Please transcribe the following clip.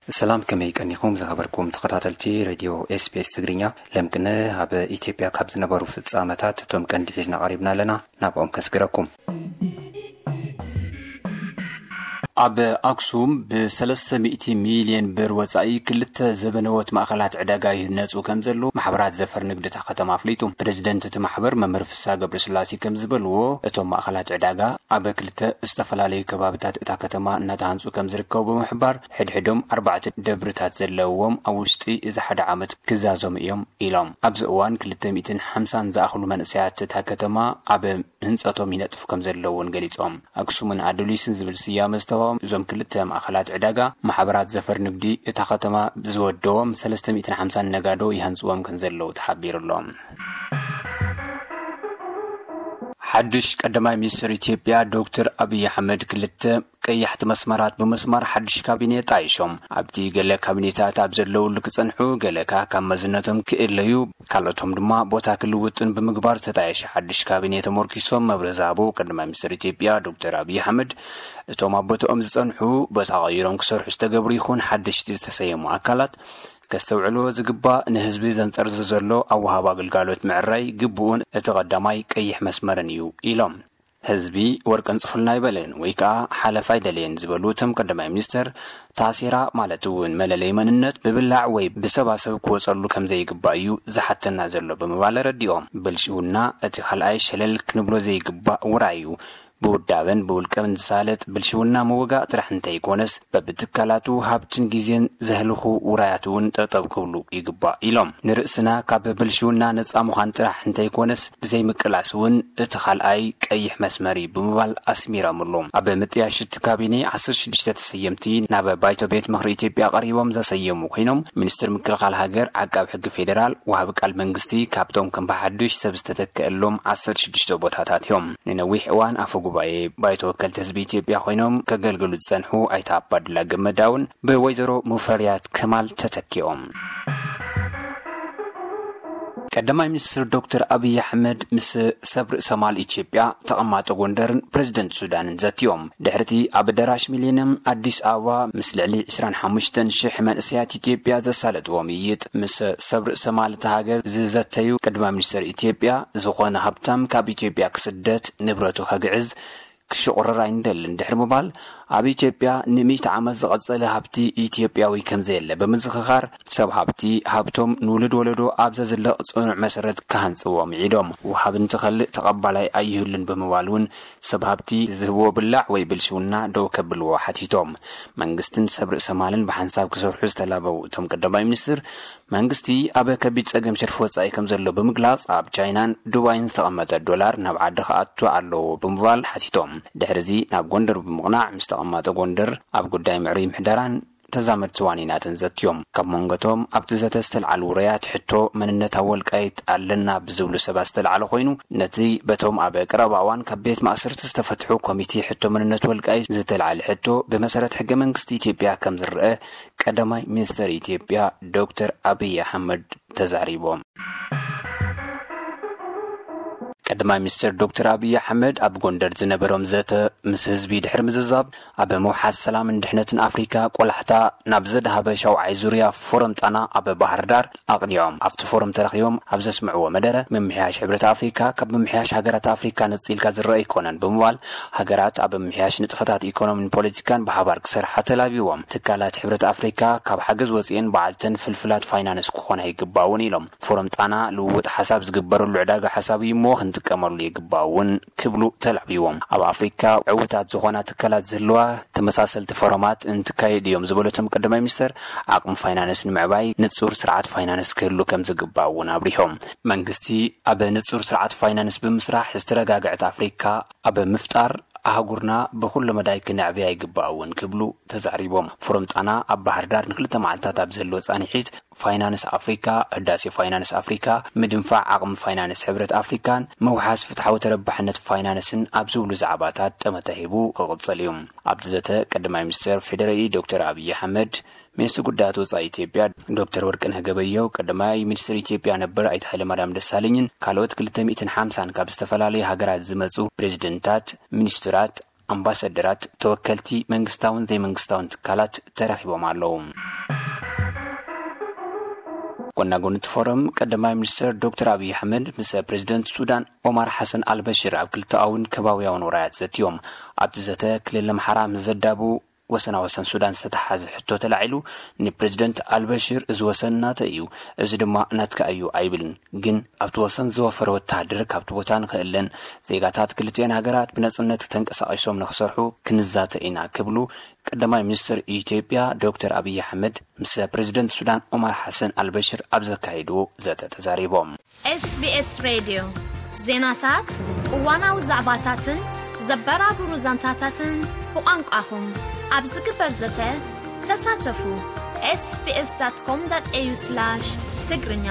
ሰላም፣ ከመይ ቀኒኹም ዝኸበርኩም ተኸታተልቲ ሬድዮ ኤስቢኤስ ትግርኛ? ለምቅነ ኣብ ኢትዮጵያ ካብ ዝነበሩ ፍጻመታት እቶም ቀንዲ ሒዝና ቀሪብና ኣለና። ናብኦም ከስግረኩም። ኣብ ኣክሱም ብ300 ሚልዮን ብር ወጻኢ ክልተ ዘበነዎት ማእኸላት ዕዳጋ ይህነጹ ከም ዘለዉ ማሕበራት ዘፈር ንግዲ እታ ከተማ ኣፍሊጡ። ፕሬዝደንት እቲ ማሕበር መምህር ፍስሃ ገብረስላሴ ከም ዝበልዎ፣ እቶም ማእኸላት ዕዳጋ ኣብ ክልተ ዝተፈላለዩ ከባብታት እታ ከተማ እናተሃንጹ ከም ዝርከቡ ብምሕባር፣ ሕድሕዶም ኣርባዕተ ደብርታት ዘለዎም ኣብ ውሽጢ እዚ ሓደ ዓመት ክዛዘሙ እዮም ኢሎም። ኣብዚ እዋን ክልተ ሚእትን ሓምሳን ዝኣኽሉ መንእሰያት እታ ከተማ ኣብ ህንጸቶም ይነጥፉ ከም ዘለዉ እውን ገሊጾም። ኣክሱምን ኣዱሊስን ዝብል ስያመ ዝተዋህቦም እዞም ክልተ ማእኸላት ዕዳጋ፣ ማሕበራት ዘፈር ንግዲ እታ ከተማ ዝወደዎም ሰለስተ ሚእትን ሓምሳን ነጋዶ ይሃንጽዎም ከም ዘለዉ ተሓቢሩ ኣሎ። ሓድሽ ቀዳማይ ሚኒስትር ኢትዮጵያ ዶክተር ኣብይ ኣሕመድ ክልተ ቀያሕቲ መስመራት ብምስማር ሓድሽ ካቢኔ ጣይሾም። ኣብቲ ገለ ካቢኔታት ኣብ ዘለውሉ ክጸንሑ፣ ገለ ከኣ ካብ መዝነቶም ክእለዩ፣ ካልኦቶም ድማ ቦታ ክልውጥን ብምግባር ዝተጣየሸ ሓድሽ ካቢኔ ተመርኪሶም መብርሂ ዝሃቡ ቀዳማይ ሚኒስትር ኢትዮጵያ ዶክተር ኣብይ ኣሕመድ፣ እቶም ኣብ ቦታኦም ዝጸንሑ ቦታ ቀይሮም ክሰርሑ ዝተገብሩ ይኹን ሓደሽቲ ዝተሰየሙ ኣካላት ከስተውዕልዎ ዝግባእ፣ ንህዝቢ ዘንጸርዝር ዘሎ ኣብ ወሃባ ኣገልጋሎት ምዕራይ ግቡኡን እቲ ቀዳማይ ቀይሕ መስመርን እዩ ኢሎም። ህዝቢ ወርቂ ኣንጽፉልና ኣይበለን ወይ ከኣ ሓለፋ ኣይደለየን ዝበሉ እቶም ቀዳማይ ሚኒስትር፣ ታሴራ ማለት እውን መለለይ መንነት ብብላዕ ወይ ብሰባሰብ ክወጸሉ ከም ዘይግባእ እዩ ዝሓተና ዘሎ ብምባል ኣረዲኦም። ብልሽውና እቲ ካልኣይ ሸለል ክንብሎ ዘይግባእ ውራይ እዩ። ብውዳበን ብውልቀን ዝሳለጥ ብልሽውና ምውጋእ ጥራሕ እንተይኮነስ፣ በብትካላቱ ሃብትን ግዜን ዘህልኹ ውራያት እውን ጠጠው ክብሉ ይግባእ ኢሎም። ንርእስና ካብ ብልሽውና ነጻ ምዃን ጥራሕ እንተይኮነስ፣ ብዘይምቅላስ እውን እቲ ካልኣይ ቀይሕ መስመር እዩ ብምባል ኣስሚሮምሉ። ኣብ ምጥያሽ እቲ ካቢኔ ዓሰርተ ሽዱሽተ ተሰየምቲ ናብ ባይቶ ቤት ምኽሪ ኢትዮጵያ ቀሪቦም ዘሰየሙ ኮይኖም፣ ሚኒስትር ምክልኻል ሃገር፣ ዓቃብ ሕጊ ፌዴራል፣ ወሃቢ ቃል መንግስቲ ካብቶም ከም ብሓዱሽ ሰብ ዝተተክአሎም ዓሰርተ ሽዱሽተ ቦታታት እዮም። ንነዊሕ እዋን ኣፈ ጉባኤ ባይቶ ወከልቲ ህዝቢ ኢትዮጵያ ኮይኖም ከገልግሉ ዝጸንሑ ኣይተ ኣባዱላ ገመዳ እውን ብወይዘሮ ሙፈሪያት ከማል ተተኪኦም። ቀዳማይ ሚኒስትር ዶክተር ኣብይ ኣሕመድ ምስ ሰብ ርእሰ ማል ኢትዮጵያ፣ ተቐማጦ ጎንደርን ፕሬዝደንት ሱዳንን ዘትዮም። ድሕሪቲ ኣብ ኣዳራሽ ሚሌኒየም ኣዲስ ኣበባ ምስ ልዕሊ ዕስራን ሓሙሽተን ሽሕ መንእሰያት ኢትዮጵያ ዘሳለጥዎ ምይይጥ፣ ምስ ሰብ ርእሰ ማል እታ ሃገር ዝዘተዩ ቀዳማይ ሚኒስትር ኢትዮጵያ፣ ዝኾነ ሃብታም ካብ ኢትዮጵያ ክስደት ንብረቱ ከግዕዝ ክሽቑርር ኣይንደልን ድሕሪ ምባል፣ ኣብ ኢትዮጵያ ንሚእቲ ዓመት ዝቐጸለ ሃብቲ ኢትዮጵያዊ ከም ዘየለ ብምዝኽኻር፣ ሰብ ሃብቲ ሃብቶም ንውሉድ ወለዶ ኣብ ዘዝለቕ ጽኑዕ መሰረት ክሃንጽዎ ምዒዶም። ወሃቢ እንትኸልእ ተቐባላይ ኣይህሉን ብምባል እውን፣ ሰብ ሃብቲ ዝህብዎ ብላዕ ወይ ብልሽውና ደው ከብልዎ ሓቲቶም። መንግስትን ሰብ ርእሰ ማልን ብሓንሳብ ክሰርሑ ዝተላበው እቶም ቀዳማይ ሚኒስትር፣ መንግስቲ ኣብ ከቢድ ጸገም ሽርፊ ወጻኢ ከም ዘሎ ብምግላጽ፣ ኣብ ቻይናን ዱባይን ዝተቐመጠ ዶላር ናብ ዓዲ ክኣቱ ኣለዎ ብምባል ሓቲቶም። ድሕሪዚ ናብ ጎንደር ብምቕናዕ፣ ምስ ተቐማጦ ጎንደር ኣብ ጉዳይ ምዕሩይ ምሕደራን ተዛመድቲ ዋኒናትን ዘትዮም። ካብ መንጎቶም ኣብቲ ዘተ ዝተልዓሉ ውረያት፣ ሕቶ መንነት ኣብ ወልቃይት ኣለና ብዝብሉ ሰባት ዝተልዓለ ኮይኑ፣ ነቲ በቶም ኣብ ቀረባ እዋን ካብ ቤት ማእሰርቲ ዝተፈትሑ ኮሚቴ ሕቶ መንነት ወልቃይት ዝተልዓለ ሕቶ ብመሰረት ሕገ መንግስቲ ኢትዮጵያ ከም ዝረአ ቀዳማይ ሚኒስትር ኢትዮጵያ ዶክተር ኣብይ ኣሕመድ ተዛሪቦም። ቀዳማይ ሚኒስትር ዶክተር ኣብይ ኣሕመድ ኣብ ጎንደር ዝነበሮም ዘተ ምስ ህዝቢ ድሕሪ ምዝዛብ፣ ኣብ ምውሓስ ሰላምን ድሕነትን ኣፍሪካ ቆላሕታ ናብ ዘድሃበ ሻውዓይ ዙርያ ፎረም ጣና ኣብ ባህር ዳር ኣቕኒዖም። ኣብቲ ፎረም ተረኺቦም ኣብ ዘስምዕዎ መደረ፣ ምምሕያሽ ሕብረት ኣፍሪካ ካብ ምምሕያሽ ሃገራት ኣፍሪካ ነፂልካ ዝረአ ኣይኮነን ብምባል፣ ሃገራት ኣብ ምምሕያሽ ንጥፈታት ኢኮኖሚን ፖለቲካን ብሓባር ክሰርሓ ተላቢዎም። ትካላት ሕብረት ኣፍሪካ ካብ ሓገዝ ወፂኤን ባዕልተን ፍልፍላት ፋይናንስ ክኾና ይግባውን ኢሎም። ፎረም ጣና ልውውጥ ሓሳብ ዝግበረሉ ዕዳጋ ሓሳብ እዩ እሞ ክንጥቀመሉ ይግባውን ክብሉ ተላቢዎም። ኣብ ኣፍሪካ ዕውታት ዝኾና ትካላት ዝህልዋ ተመሳሰልቲ ፎረማት እንትካየድ እዮም ዝበሉ እቶም ቀዳማይ ሚኒስትር፣ ዓቕሚ ፋይናንስ ንምዕባይ ንጹር ስርዓት ፋይናንስ ክህሉ ከም ዝግባእ እውን ኣብሪሆም። መንግስቲ ኣብ ንጹር ስርዓት ፋይናንስ ብምስራሕ ዝተረጋግዐት ኣፍሪካ ኣብ ምፍጣር ኣህጉርና ብኩሉ መዳይ ክነዕብያ ይግባእ እውን ክብሉ ተዛሪቦም። ፎረም ጣና ኣብ ባህር ዳር ንክልተ መዓልታት ኣብ ዘሎ ጻንሒት፣ ፋይናንስ ኣፍሪካ፣ ህዳሴ ፋይናንስ ኣፍሪካ፣ ምድንፋዕ ዓቕሚ ፋይናንስ ሕብረት ኣፍሪካን ምውሓስ ፍትሓዊ ተረባሕነት ፋይናንስን ኣብ ዝብሉ ዛዕባታት ጠመተ ሂቡ ክቕጽል እዩ። ኣብቲ ዘተ ቀዳማይ ሚኒስትር ፌዴራል ዶክተር ኣብይ ኣሕመድ፣ ሚኒስትር ጉዳያት ወጻኢ ኢትዮጵያ ዶክተር ወርቅነህ ገበየሁ፣ ቀዳማይ ሚኒስትር ኢትዮጵያ ነበር ኣይተ ሃይለማርያም ደሳለኝን ካልኦት ክልተ ሚእትን ሓምሳን ካብ ዝተፈላለዩ ሃገራት ዝመጹ ፕሬዚደንታት፣ ሚኒስትራት፣ ኣምባሳደራት፣ ተወከልቲ መንግስታውን ዘይመንግስታውን ትካላት ተረኺቦም ኣለዉ። ጎናጎኒ እቲ ፎረም ቀዳማይ ሚኒስትር ዶክተር ኣብይ ኣሕመድ ምስ ፕሬዚደንት ሱዳን ኦማር ሓሰን ኣልበሽር ኣብ ክልተኣውን ከባቢያውን ወራያት ዘትዮም። ኣብቲ ዘተ ክልል ኣምሓራ ምስ ዘዳቡ ወሰና ወሰን ሱዳን ዝተተሓዘ ሕቶ ተላዒሉ፣ ንፕሬዚደንት ኣልበሽር እዚ ወሰን ናተ እዩ፣ እዚ ድማ ናትካ እዩ ኣይብልን። ግን ኣብቲ ወሰን ዝወፈረ ወተሃደር ካብቲ ቦታ ንኽእለን ዜጋታት ክልቲኤን ሃገራት ብነጽነት ተንቀሳቒሶም ንኽሰርሑ ክንዛተ ኢና ክብሉ ቀዳማይ ሚኒስትር ኢትዮጵያ ዶክተር ኣብይ ኣሕመድ ምስ ፕሬዚደንት ሱዳን ኦማር ሓሰን ኣልበሽር ኣብ ዘካየድዎ ዘተ ተዛሪቦም። SBS ሬድዮ ዜናታት፣ እዋናዊ ዛዕባታትን ዘበራብሩ ዛንታታትን ብቋንቋኹም ኣብ ዝግበር ዘተ ተሳተፉ። sbs.com.au/ትግርኛ